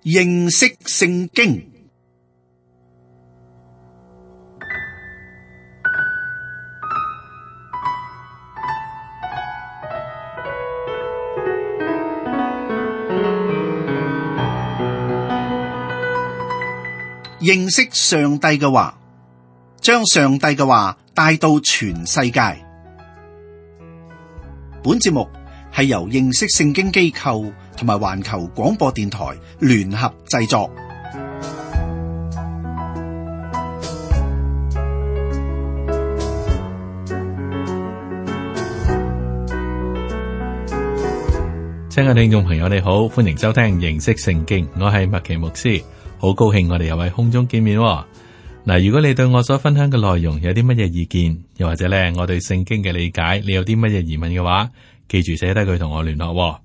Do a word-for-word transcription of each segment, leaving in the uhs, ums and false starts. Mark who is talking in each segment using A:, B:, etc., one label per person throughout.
A: 認識聖經。認識上帝嘅話，將上帝嘅話帶到全世界。本節目係由認識聖經機構同埋環球廣播電台聯合製作。
B: 親愛聽眾朋友，你好，歡迎收聽認識聖經，我係麥奇牧師。好高興我哋又喺空中見面喎。嗱，如果你對我所分享嘅內容有啲乜嘢意見，又或者咧我對聖經嘅理解，你有啲乜嘢疑問嘅話，記住寫低佢同我聯絡喎。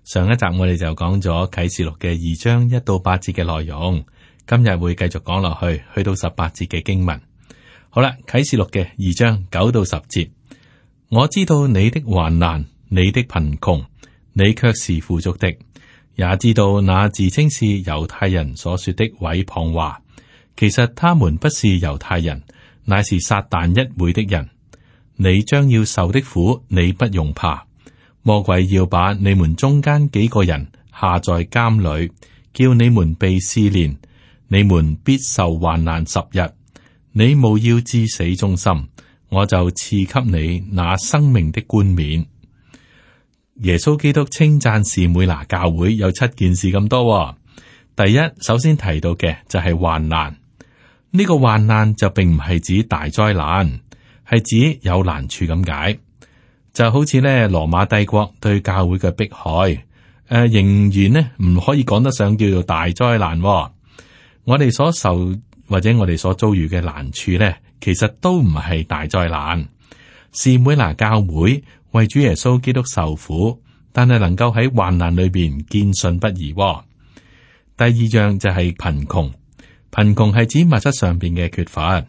B: 上一集我哋就講咗啟示錄嘅二章一到八節嘅內容，今日會繼續講落去，去到十八節嘅經文。好啦，啟示錄嘅二章九到十節，我知道你的患難，你的貧窮，你卻是富足的。也知道那自稱是猶太人所說的毀謗話，其實他們不是猶太人，乃是撒但一會的人。你將要受的苦，你不用怕。魔鬼要把你們中間幾個人下在監裏，叫你們被試煉，你們必受患難十日。你務要至死忠心，我就賜給你那生命的冠冕。耶穌基督稱讚士每拿教會有七件事咁多喎。第一，首先提到嘅就係患難。呢個患難就並唔係指大災難，係指有難處咁解。就好似咧羅馬帝國對教會嘅迫害，誒、呃、仍然呢唔可以講得上叫做大災難喎。我哋所受或者我哋所遭遇嘅難處咧，其實都唔係大災難。士每拿教會為主耶穌基督受苦，但係能夠喺患難裏邊堅信不疑。第二樣就係貧窮，貧窮係指物質上邊嘅缺乏。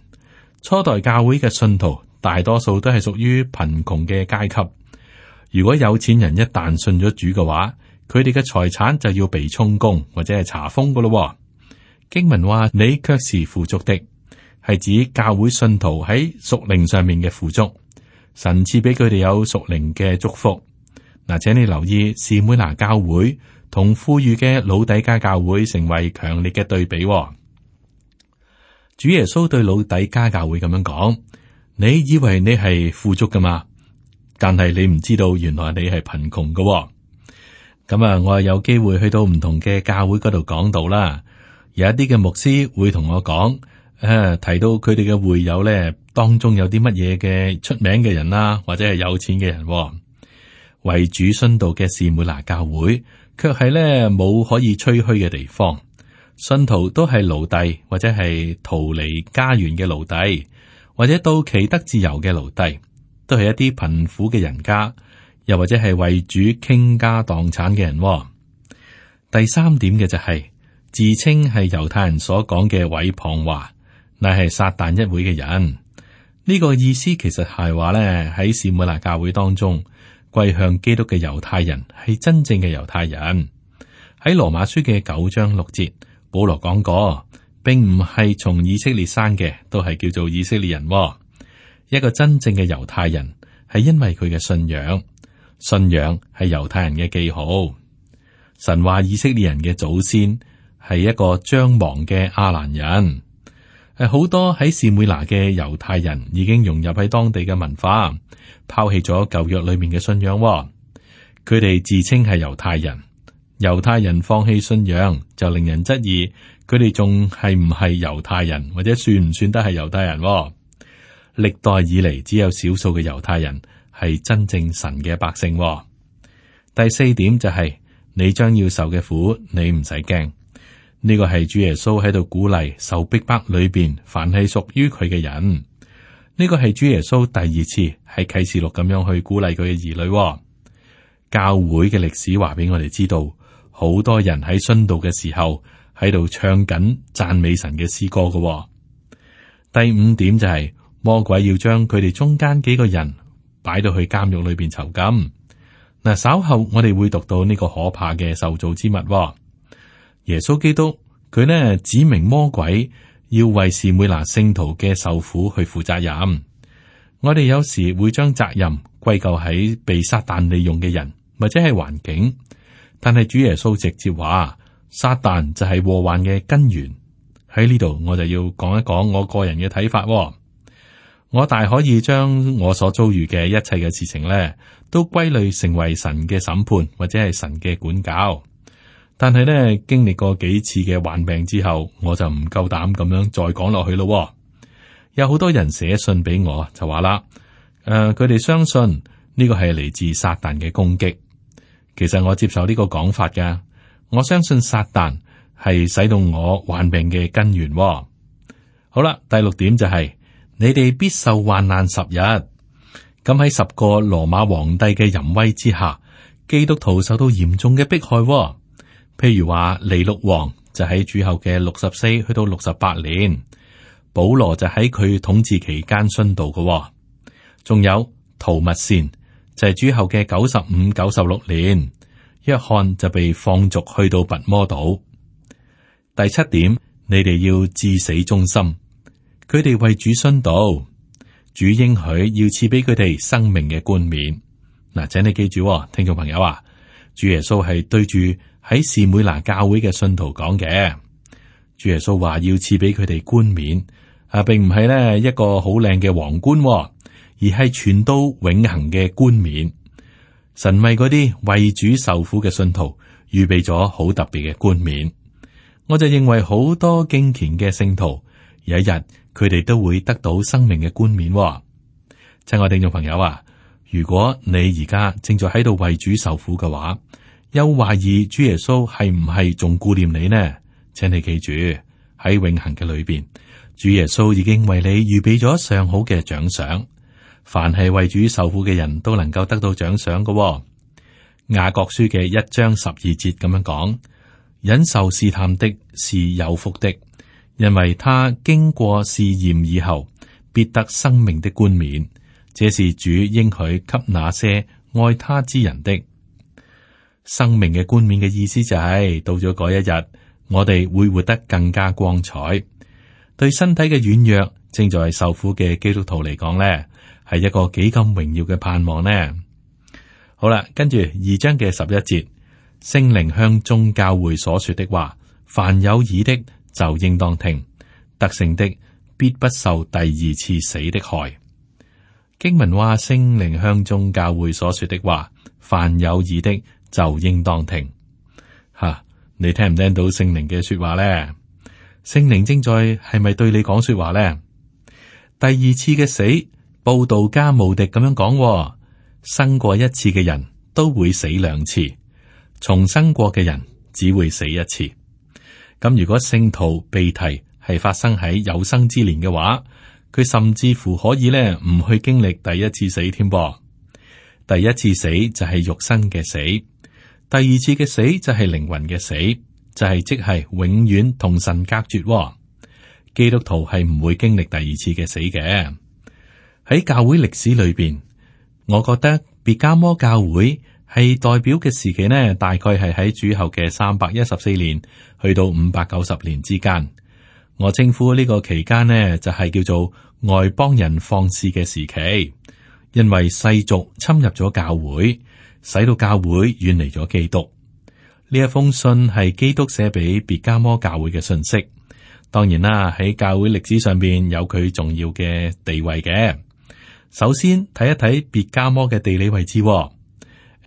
B: 初代教會嘅信徒大多數都係屬於貧窮嘅階級。如果有錢人一旦信咗主嘅話，佢哋嘅財產就要被充公或者係查封噶咯。經文話你卻是富足的，係指教會信徒喺屬靈上面嘅富足。神賜俾佢哋有屬靈嘅祝福。嗱，請你留意士每拿教會同富裕嘅老底嘉教會成為強烈嘅對比。主耶穌對老底嘉教會咁樣講：你以為你係富足噶嘛？但係你唔知道，原來你係貧窮噶。咁啊，我有機會去到唔同嘅教會嗰度講道啦。有一啲嘅牧師會同我講，誒、啊，提到佢哋嘅會友咧。當中有啲乜嘢嘅出名嘅人啦，或者係有錢嘅人，為主殉道嘅士每拿教會，卻係咧冇可以吹噓嘅地方。信徒都係奴隸，或者係逃離家園嘅奴隸，或者到期得自由嘅奴隸，都係一啲貧苦嘅人家，又或者係為主傾家蕩產嘅人。第三點嘅就係、是、自稱係猶太人所講嘅毀謗話，乃係撒但一會嘅人。呢個意思其實係話咧，喺士每拿教會當中，歸向基督嘅猶太人係真正嘅猶太人。喺羅馬書嘅九章六節，保羅講過，並唔係從以色列生嘅，都係叫做以色列人。一個真正嘅猶太人係因為佢嘅信仰，信仰係猶太人嘅記號。神話以色列人嘅祖先係一個將亡嘅亞蘭人。誒，好多喺士每拿嘅猶太人已經融入喺當地嘅文化，拋棄咗舊約裏面嘅信仰。佢哋自稱係猶太人，猶太人放棄信仰，就令人質疑佢哋仲係唔係猶太人，或者算唔算得係猶太人？歷代以嚟，只有少數嘅猶太人係真正神嘅百姓。第四點就係、是、你將要受嘅苦，你唔使驚。呢個係主耶穌喺度鼓勵受逼迫裏邊，凡係屬於佢嘅人。呢個係主耶穌第二次喺啟示錄咁樣去鼓勵佢嘅兒女。教會嘅歷史話俾我哋知道，好多人喺殉道嘅時候喺度唱緊讚美神嘅詩歌嘅。第五點就係、是、魔鬼要將佢哋中間幾個人擺到去監獄裏邊囚禁。嗱，稍後我哋會讀到呢個可怕嘅受造之物。耶穌基督佢呢指明魔鬼要為士每拿聖徒嘅受苦去負責任。我哋有時會將責任歸咎喺被撒旦利用嘅人或者係環境，但係主耶穌直接話撒旦就係禍患嘅根源。喺呢度我就要講一講我個人嘅睇法。我大可以將我所遭遇嘅一切嘅事情咧，都歸類成為神嘅審判或者係神嘅管教。但係咧，經歷過幾次嘅患病之後，我就唔夠膽咁樣再講落去咯。有好多人寫信俾我，就話啦，誒、呃，佢哋相信呢個係嚟自撒旦嘅攻擊。其實我接受呢個講法㗎，我相信撒旦係使到我患病嘅根源。好啦，第六點就係、是。你哋必受患難十日，咁喺十個羅馬皇帝嘅淫威之下，基督徒受到嚴重嘅迫害。譬如話尼祿王就喺主後嘅六十四去到六十八年，保羅就喺佢統治期間殉道嘅。仲有圖密善就係主後嘅九十五、九十六年，約翰就被放逐去到拔摩島。第七點，你哋要至死忠心。佢哋為主殉道，主應許要賜俾佢哋生命嘅冠冕。嗱，請你記住，聽眾朋友啊，主耶穌係對住喺士每拿教會嘅信徒講嘅。主耶穌話要賜俾佢哋冠冕，啊，並唔係咧一個好靚嘅皇冠，而係傳到永恆嘅冠冕。神為嗰啲為主受苦嘅信徒預備咗好特別嘅冠冕。我就認為好多敬虔嘅聖徒有一日。佢哋都會得到生命嘅冠冕。親愛聽眾朋友啊，如果你而家正在喺度為主受苦嘅話，又懷疑主耶穌係唔係仲顧念你呢？請你記住喺永恆嘅裏邊，主耶穌已經為你預備咗上好嘅獎賞。凡係為主受苦嘅人都能夠得到獎賞嘅。雅各書嘅一章十二節咁樣講：忍受試探的是有福的。因為他經過試驗以後，必得生命的冠冕，這是主應許給那些愛他之人的。生命嘅冠冕嘅意思就係、是、到咗嗰一日，我哋會活得更加光彩。對身體嘅軟弱，正在受苦嘅基督徒嚟講呢，係一個幾咁榮耀嘅盼望呢。好啦，跟住二章嘅十一節，聖靈向眾教會所說的話，凡有耳的。就應當聽，得勝的必不受第二次死的害。經文話聖靈向眾教會所說的話，凡有耳的就應當聽。吓，你聽唔聽到聖靈嘅說話咧？聖靈正在係咪對你講說話咧？第二次嘅死，布道家無敵咁樣講，生過一次嘅人都會死兩次，重生過嘅人只會死一次。咁如果聖徒被提係發生喺有生之年嘅話，佢甚至乎可以咧唔去經歷第一次死添噃。第一次死就係肉身嘅死，第二次嘅死就係靈魂嘅死，就係即係永遠同神隔絕。基督徒係唔會經歷第二次嘅死嘅。喺教會歷史裏邊，我覺得別迦摩教會。係代表嘅時期呢，大概係喺主後嘅三百一十四年去到五百九十年之間。我稱呼呢個期間呢，就係、是、叫做外邦人放肆嘅時期，因為世俗侵入咗教會，使到教會遠離咗基督。呢一封信係基督寫俾別迦摩教會嘅信息。當然啦，喺教會歷史上邊有佢重要嘅地位嘅。首先睇一睇別迦摩嘅地理位置。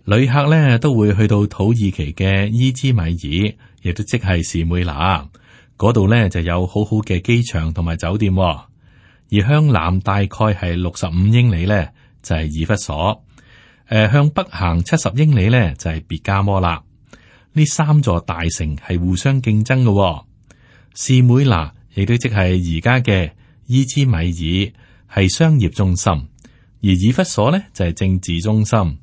B: 旅客咧都會去到土耳其嘅伊茲米爾，亦都即係士每拿嗰度咧，就有好好嘅機場同埋酒店。而向南大概係六十五英里咧，就係以弗所。誒、呃，向北行七十英里咧，就係別迦摩啦。呢三座大城係互相競爭嘅。士每拿亦都即係而家嘅伊茲米爾係商業中心，而以弗所咧就係政治中心。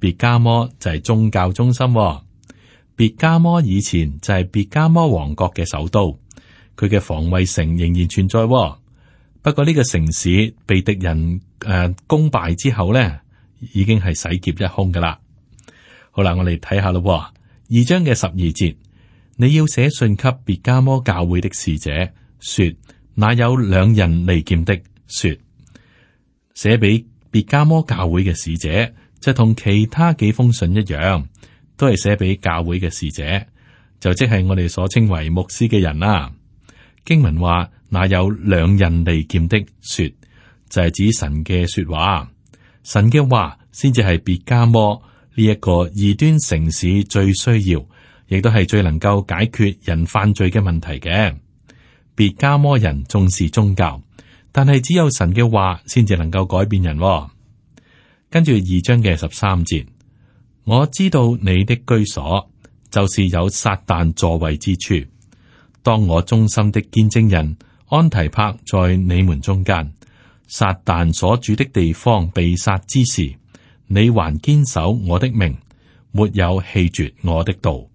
B: 別迦摩就係宗教中心。別迦摩以前就係別迦摩王國嘅首都，佢嘅防衛城仍然存在。不過呢個城市被敵人誒、呃、攻敗之後咧，已經係洗劫一空噶啦。好啦，我哋睇下咯。二章嘅十二節，你要寫信給別迦摩教會的使者，說那有兩人利劍的，說寫俾別迦摩教會嘅使者，就同其他幾封信一樣，都係寫俾教會嘅使者，就即係我哋所稱為牧師嘅人啦。經文話那有兩人利劍的，說就係、是、指神嘅說話，神嘅話先至係別迦摩呢一個異端城市最需要，亦都係最能夠解決人犯罪嘅問題嘅。別迦摩人重視宗教，但係只有神嘅話先至能夠改變人、哦。跟住二章嘅十三節，我知道你的居所就是有撒旦座位之處。當我忠心的見證人安提帕在你們中間，撒旦所住的地方被殺之時，你還堅守我的名，沒有棄絕我的道。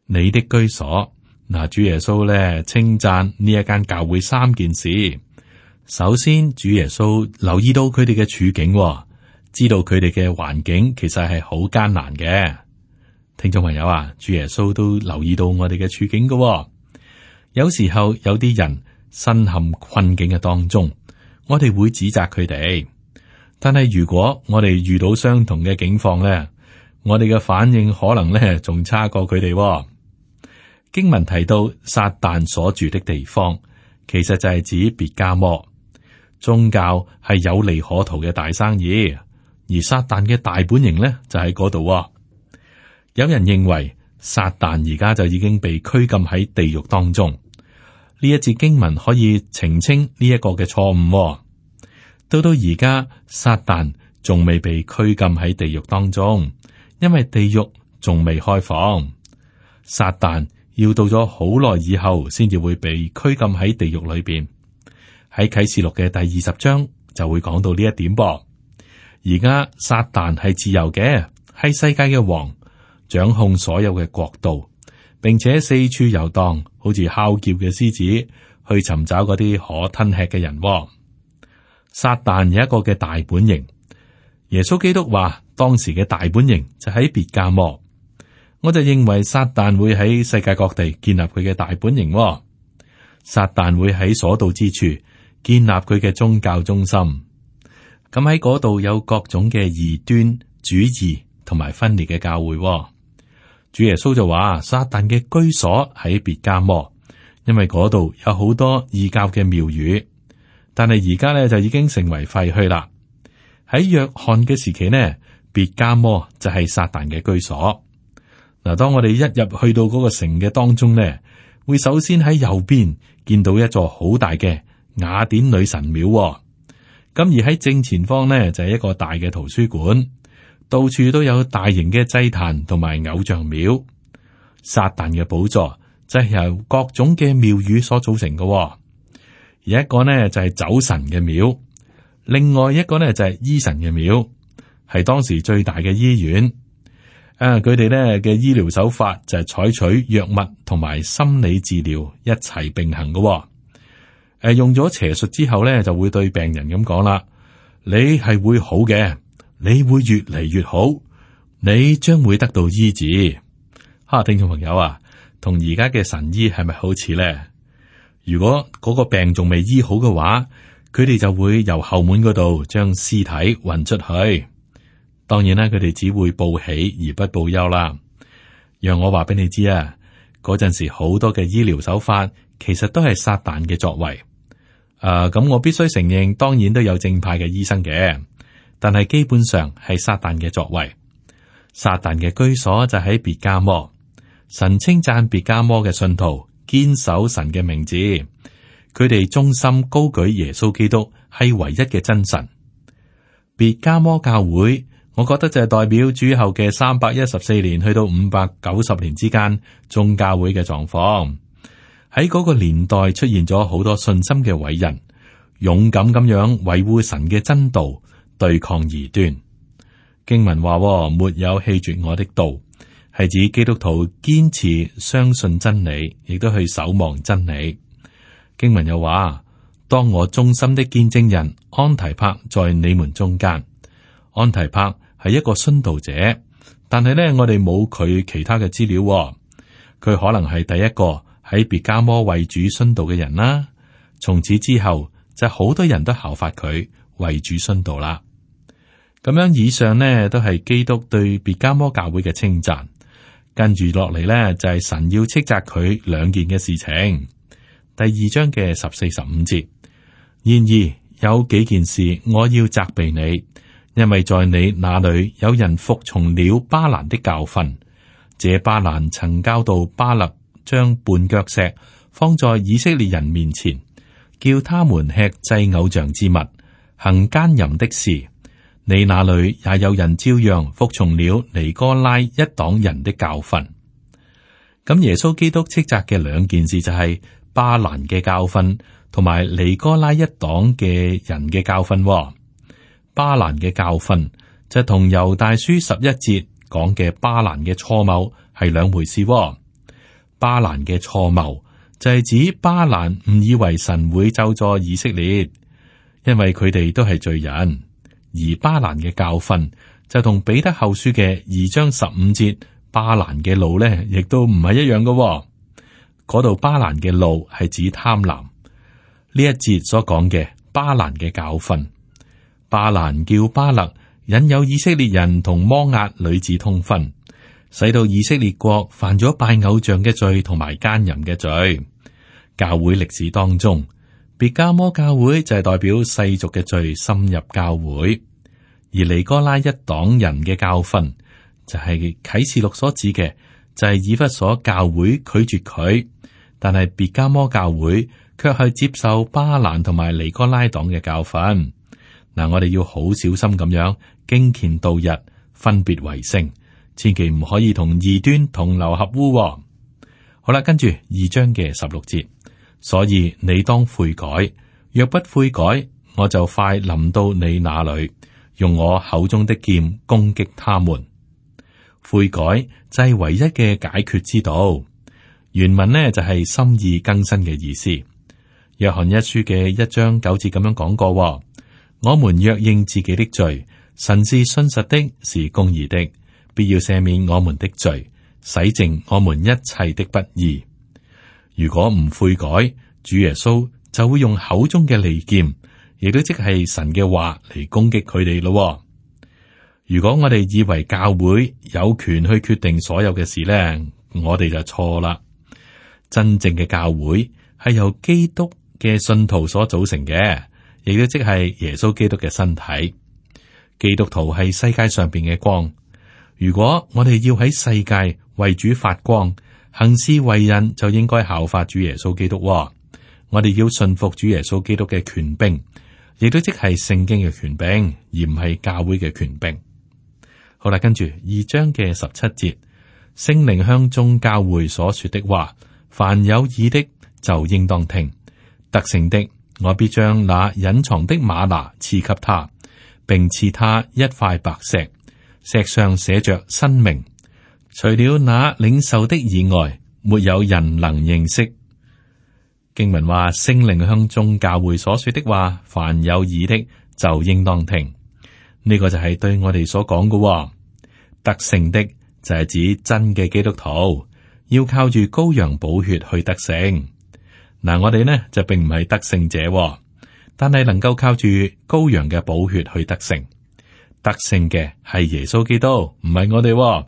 B: 你的居所，嗱，主耶穌咧稱讚呢一間教會三件事。首先，主耶穌留意到佢哋嘅處境、哦，知道佢哋嘅環境其實係好艱難嘅。聽眾朋友啊，主耶穌都留意到我哋嘅處境嘅、哦。有時候有啲人身陷困境嘅當中，我哋會指責佢哋。但係如果我哋遇到相同嘅境況咧，我哋嘅反應可能咧仲差過佢哋、哦。經文提到撒旦所住的地方，其實就係指別迦摩。宗教係有利可圖嘅大生意，而撒旦嘅大本營咧就喺嗰度。有人認為撒旦而家就已經被拘禁喺地獄當中。呢一節經文可以澄清呢一個嘅錯誤。到到而家，撒旦仲未被拘禁喺地獄當中，因為地獄仲未開放。撒旦要到咗好耐以後，先至會被拘禁喺地獄裏邊。喺啟示錄嘅第二十章就會講到呢一點噃。而家撒旦係自由嘅，係世界嘅王，掌控所有嘅國度，並且四處遊蕩，好似哮叫嘅獅子，去尋找嗰啲可吞吃嘅人。撒旦有一個嘅大本營，耶穌基督話當時嘅大本營就喺別迦摩。我就認為撒旦會喺世界各地建立佢嘅大本營。撒旦會喺所到之處建立佢嘅宗教中心。咁喺嗰度有各種嘅異端主義同埋分裂嘅教會。主耶穌就話撒旦嘅居所喺別迦摩，因為嗰度有好多異教嘅廟宇。但係而家咧就已經成為廢墟啦。喺約翰嘅時期呢，別迦摩就係撒旦嘅居所。嗱，當我哋一入去到嗰個城嘅當中呢，會首先喺右邊見到一座好大嘅雅典女神廟。咁而喺正前方呢，就係一個大嘅圖書館，到處都有大型嘅祭壇同埋偶像廟。撒旦嘅寶座就係由各種嘅廟宇所組成嘅。而一個呢就係酒神嘅廟，另外一個呢就係醫神嘅廟，係當時最大嘅醫院。誒，佢哋咧嘅醫療手法就係採取藥物同埋心理治療一齊並行嘅。誒、呃，用咗邪術之後咧，就會對病人咁講啦：你係會好嘅，你會越嚟越好，你將會得到醫治。哈，聽眾朋友啊，同而家嘅神醫係咪好似咧？如果嗰個病仲未醫好嘅話，佢哋就會由後門嗰度將屍體運出去。當然啦，佢哋只會報喜而不報憂啦。讓我話俾你知啊，嗰陣時好多嘅醫療手法其實都係撒旦嘅作為。誒、呃，咁我必須承認，當然都有正派嘅醫生嘅，但係基本上係撒旦嘅作為。撒旦嘅居所就喺別迦摩。神稱讚別迦摩嘅信徒堅守神嘅名字，佢哋忠心高舉耶穌基督係唯一嘅真神。別迦摩教會，我覺得就係代表主後嘅三百一十四年去到五百九十年之間眾教會嘅狀況。喺嗰個年代出現咗好多信心嘅偉人，勇敢咁樣維護神嘅真道，對抗異端。經文話：沒有棄絕我的道，係指基督徒堅持相信真理，亦都去守望真理。經文又話：當我忠心的見證人安提帕在你們中間。安提帕係一個殉道者，但係咧我哋冇佢其他嘅資料。佢可能係第一個喺別迦摩為主殉道嘅人啦。從此之後，就好多人都效法佢為主殉道啦。咁樣以上呢，都係基督對別迦摩教會嘅稱讚。跟住落嚟呢，就係神要斥責佢兩件嘅事情。第二章嘅十四十五節，然而有幾件事我要責備你，因為在你那裏有人服從了巴蘭的教訓。這巴蘭曾教導巴勒將絆腳石放在以色列人面前，叫他們吃祭偶像之物，行奸淫的事。你那裏也有人照樣服從了尼哥拉一黨人的教訓。咁耶穌基督斥責嘅兩件事就係巴蘭嘅教訓同埋尼哥拉一黨嘅人嘅教訓。巴蘭嘅教訓就同猶大書十一節講嘅巴蘭嘅錯謬係兩回事。巴蘭嘅錯謬就係指巴蘭誤以為神會咒詛以色列，因為佢哋都係罪人。而巴蘭嘅教訓就同彼得後書嘅二章十五節巴蘭嘅路呢，亦都唔係一樣嘅。嗰度巴蘭嘅路係指貪婪。呢一節所講嘅巴蘭嘅教訓，巴蘭叫巴勒引誘以色列人同摩押女子通婚，使到以色列國犯咗拜偶像嘅罪同埋奸淫嘅罪。教會歷史當中，別迦摩教會就係代表世俗嘅罪深入教會，而尼哥拉一黨人嘅教訓就係啟示錄所指嘅，就係以弗所教會拒絕佢，但係別迦摩教會卻係接受巴蘭同埋尼哥拉黨嘅教訓。嗱，我哋要好小心咁樣敬虔度日，分別為聖，千祈唔可以同異端同流合污。好啦，跟住二章嘅十六節。所以你當悔改，若不悔改，我就快臨到你那裏，用我口中的劍攻擊他們。悔改就係唯一嘅解決之道。原文呢就係心意更新嘅意思。約翰一書嘅一章九節咁樣講過：我們若認自己的罪，神是信實的，是公義的，必要赦免我們的罪，洗淨我們一切的不義。如果唔悔改，主耶穌就會用口中嘅利劍，亦都即係神嘅話嚟攻擊佢哋咯。如果我哋以為教會有權去決定所有嘅事咧，我哋就錯啦。真正嘅教會係由基督嘅信徒所組成嘅，亦都即係耶穌基督嘅身體。基督徒係世界上邊嘅光。如果我哋要喺世界為主發光，行事為人就應該效法主耶穌基督。我哋要信服主耶穌基督嘅權柄，亦都即係聖經嘅權柄，而唔係教會嘅權柄。好啦，跟住二章嘅十七節，聖靈向眾教會所說的話，凡有耳的就應當聽。得勝的，我必將那隱藏的嗎哪賜給他，並賜他一塊白石，石上寫着新名。除了那領受的以外，沒有人能認識。經文話，聖靈向眾教會所說的話，凡有耳的就應當聽。呢、這個就係對我哋所講嘅。得勝的就係指真嘅基督徒，要靠住羔羊寶血去得勝。嗱，我哋呢就並唔係得勝者，但係能夠靠住羔羊嘅寶血去得勝。得勝嘅係耶穌基督，唔係我哋。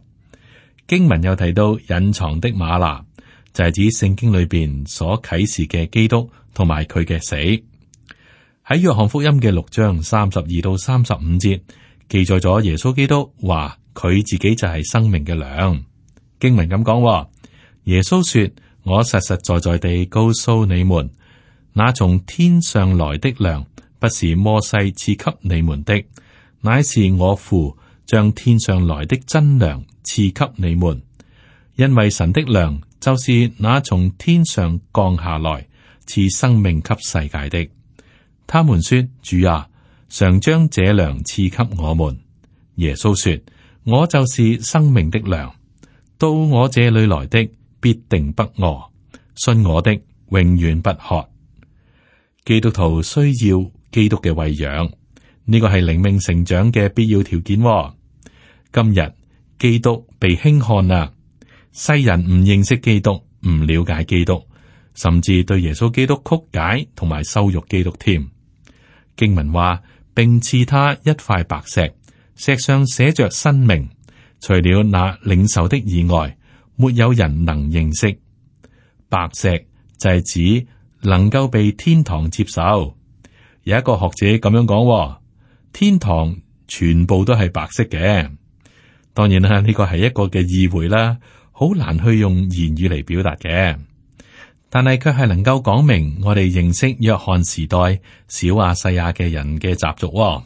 B: 經文又提到隱藏的嗎哪，就係指聖經裏邊所啟示嘅基督同埋佢嘅死。喺約翰福音嘅六章三十二到三十五節記載咗耶穌基督話佢自己就係生命嘅糧。經文咁講，耶穌說：我實實在在地告訴你們，那從天上來的糧不是摩西賜給你們的，乃是我父將天上來的真糧賜給你們。因為神的糧就是那從天上降下來賜生命給世界的。他們說：主啊，常將這糧賜給我們。耶穌說：我就是生命的糧，到我這裏來的必定不餓，信我的永遠不渴。基督徒需要基督嘅餵養，呢個係靈命成長嘅必要條件。今日基督被輕看啦，世人唔認識基督，唔了解基督，甚至對耶穌基督曲解同埋羞辱基督添。經文話，並賜他一塊白石，石上寫着新名，除了那領受的以外，沒有人能認識。白石就係指能夠被天堂接受。有一個學者咁樣講，天堂全部都係白色嘅。當然啦，呢個係一個嘅意會啦，好難去用言語嚟表達嘅。但係卻係能夠講明我哋認識約翰時代小亞細亞嘅人嘅習俗。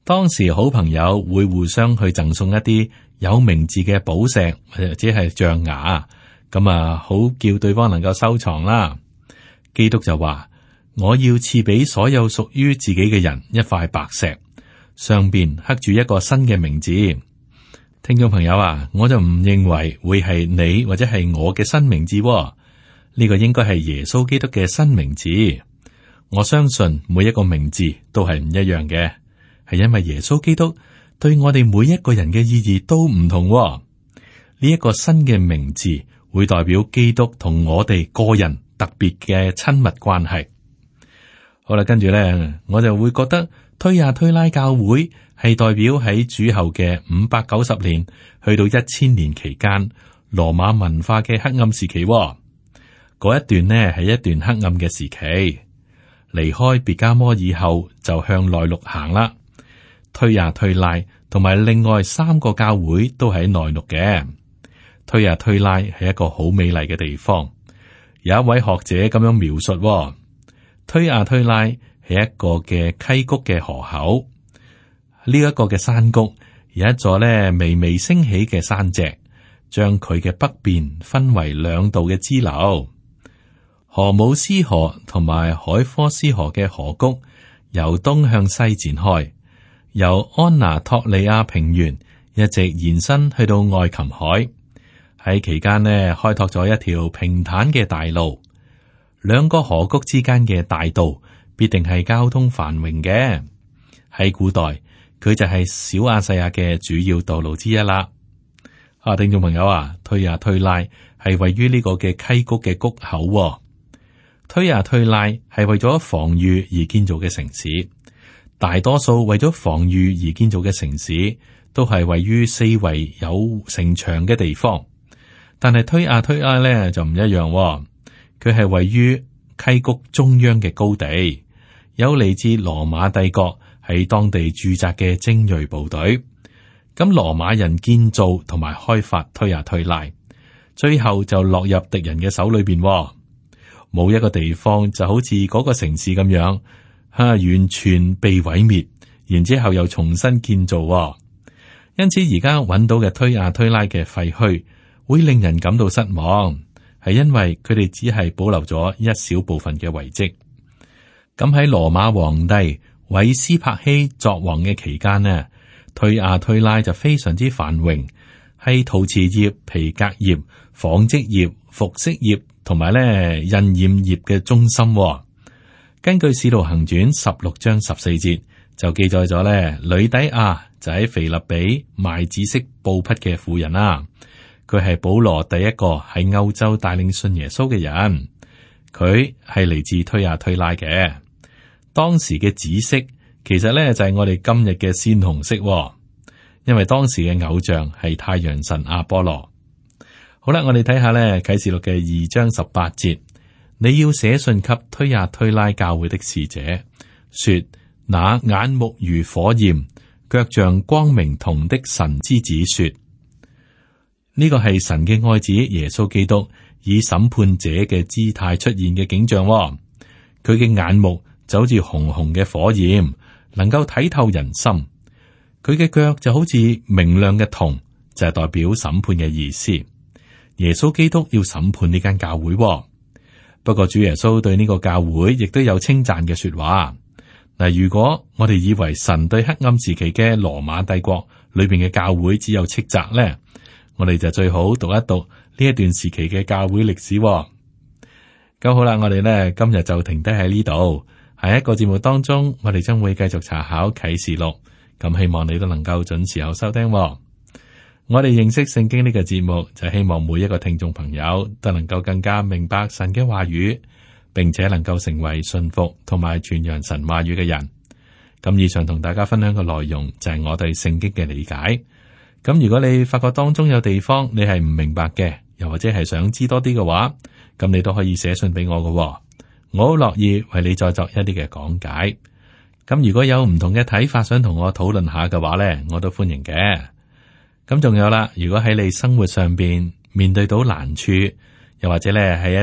B: 當時好朋友會互相去贈送一啲有名字嘅寶石或者係象牙，咁啊好叫對方能夠收藏啦。基督就話，我要賜俾所有屬於自己嘅人一塊白石，上邊刻住一個新嘅名字。聽眾朋友啊，我就唔認為會係你或者係我嘅新名字，呢個應該係耶穌基督嘅新名字。我相信每一個名字都係唔一樣嘅，係因為耶穌基督對我哋每一個人嘅意義都唔同。呢一個新嘅名字會代表基督同我哋個人特別嘅親密關係。好啦，跟住咧，我就會覺得推亞推拉教會係代表喺主後嘅五百九十年去到一千年期間羅馬文化嘅黑暗時期。嗰一段呢係一段黑暗嘅時期。離開別加摩以後就向內陸行啦。推亞推拉同埋另外三個教會都喺內陸嘅。推亞推拉係一個好美麗嘅地方。有一位學者咁樣描述，推亞推拉係一個嘅溪谷嘅河口。呢、這、一個嘅山谷有一座咧微微升起嘅山脊，將佢嘅北邊分為兩道嘅支流。荷姆斯河同埋海科斯河嘅河谷由東向西展開，由安拿托利亞平原一直延伸去到愛琴海。喺期間呢，開拓咗一條平坦嘅大路。兩個河谷之間嘅大道必定係交通繁榮嘅。喺古代，佢就係小亞細亞嘅主要道路之一啦。啊，聽眾朋友啊，推亞推拉係位於呢個嘅溪谷嘅谷口。推亞推拉係為咗防禦而建造嘅城市，大多數為咗防禦而建造嘅城市都係位於四圍有城牆嘅地方。但係推亞推拉咧就唔一樣，佢係位於溪谷中央嘅高地，有嚟自羅馬帝國喺當地駐紮嘅精銳部隊。咁羅馬人建造同埋開發推亞推拉，最後就落入敵人嘅手裏邊。冇一個地方就好似嗰個城市咁樣，吓、啊、完全被毀滅，然之後又重新建造。因此而家揾到嘅推亞推拉嘅廢墟，會令人感到失望，係因為佢哋只係保留咗一小部分嘅遺跡。咁喺羅馬皇帝韋斯帕希作王嘅期間呢，推亞推拉就非常之繁榮，係陶瓷業、皮革業、紡織業、服飾業同埋咧印染業嘅中心。根據《使徒行傳》十六章十四節就記載咗咧，呂底亞就喺腓立比賣紫色布匹嘅婦人啦。佢係保羅第一個喺歐洲帶領信耶穌嘅人，佢係嚟自推亞推拉嘅。當時嘅紫色其實咧就係我哋今日嘅鮮紅色，因為當時嘅偶像係太陽神阿波羅。好啦，我哋睇下咧啟示錄嘅二章十八節，你要寫信給推亞推拉教會的使者，說那眼目如火焰，腳像光明銅的神之子說。呢個係神嘅愛子耶穌基督以審判者嘅姿態出現嘅景象。佢嘅眼目就好似紅紅嘅火焰，能夠睇透人心。佢嘅腳就好似明亮嘅銅，就係代表審判嘅意思。耶穌基督要審判呢間教會。不過主耶穌對呢個教會亦都有稱讚嘅說話。嗱，如果我哋以為神對黑暗時期嘅羅馬帝國裏邊嘅教會只有斥責咧，我哋就最好讀一讀呢一段時期嘅教會歷史。咁好啦，我哋咧今日就停低喺呢度。下一個節目當中，我哋將會繼續查考啟示錄。咁希望你都能夠準時有收聽。我哋認識聖經呢個節目，就希望每一個聽眾朋友都能夠更加明白神嘅話語，並且能夠成為信服同埋傳揚神話語嘅人。咁以上同大家分享嘅內容就係我對聖經嘅理解。咁如果你發覺當中有地方你係唔明白嘅，又或者係想知多啲嘅話，咁你都可以寫信俾我嘅，我好樂意為你再作一啲嘅講解。咁如果有唔同嘅睇法，想同我討論下嘅話呢，我都歡迎嘅。咁仲有啦，如果喺你生活上邊面對到難處，又或者咧係一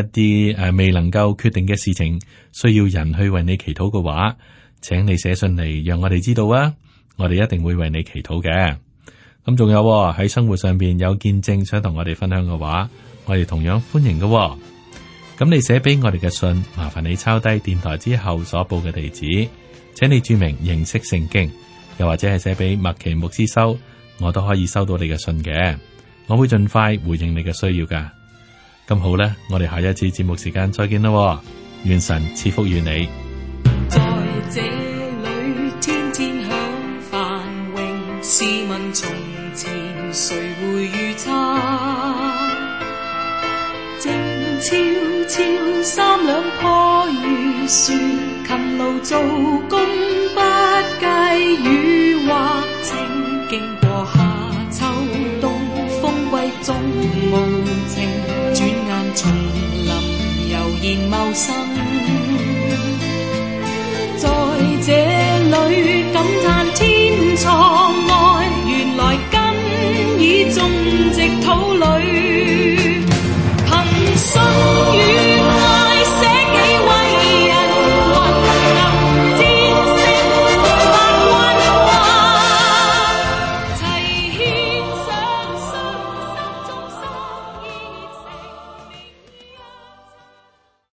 B: 啲誒未能夠決定嘅事情，需要人去為你祈禱嘅話，請你寫信嚟，讓我哋知道啊，我哋一定會為你祈禱嘅。咁仲有喺生活上邊有見證想同我哋分享嘅話，我哋同樣歡迎嘅。咁你寫俾我哋嘅信，麻煩你抄低電台之後所報嘅地址，請你注明認識聖經，又或者係寫俾麥奇牧師收，我都可以收到你嘅信嘅。我會盡快回應你嘅需要噶。咁好啦，我哋下一次節目時間再見啦，願神賜福於你。
C: 在這裏天天享繁榮，試問從前誰會預測？靜悄悄三兩棵雨樹，勤勞做工不計雨或晴，經過夏秋冬，風季中無情，轉眼叢林悠然茂生。在這裏感嘆天錯愛，原來根已種植土裏，憑心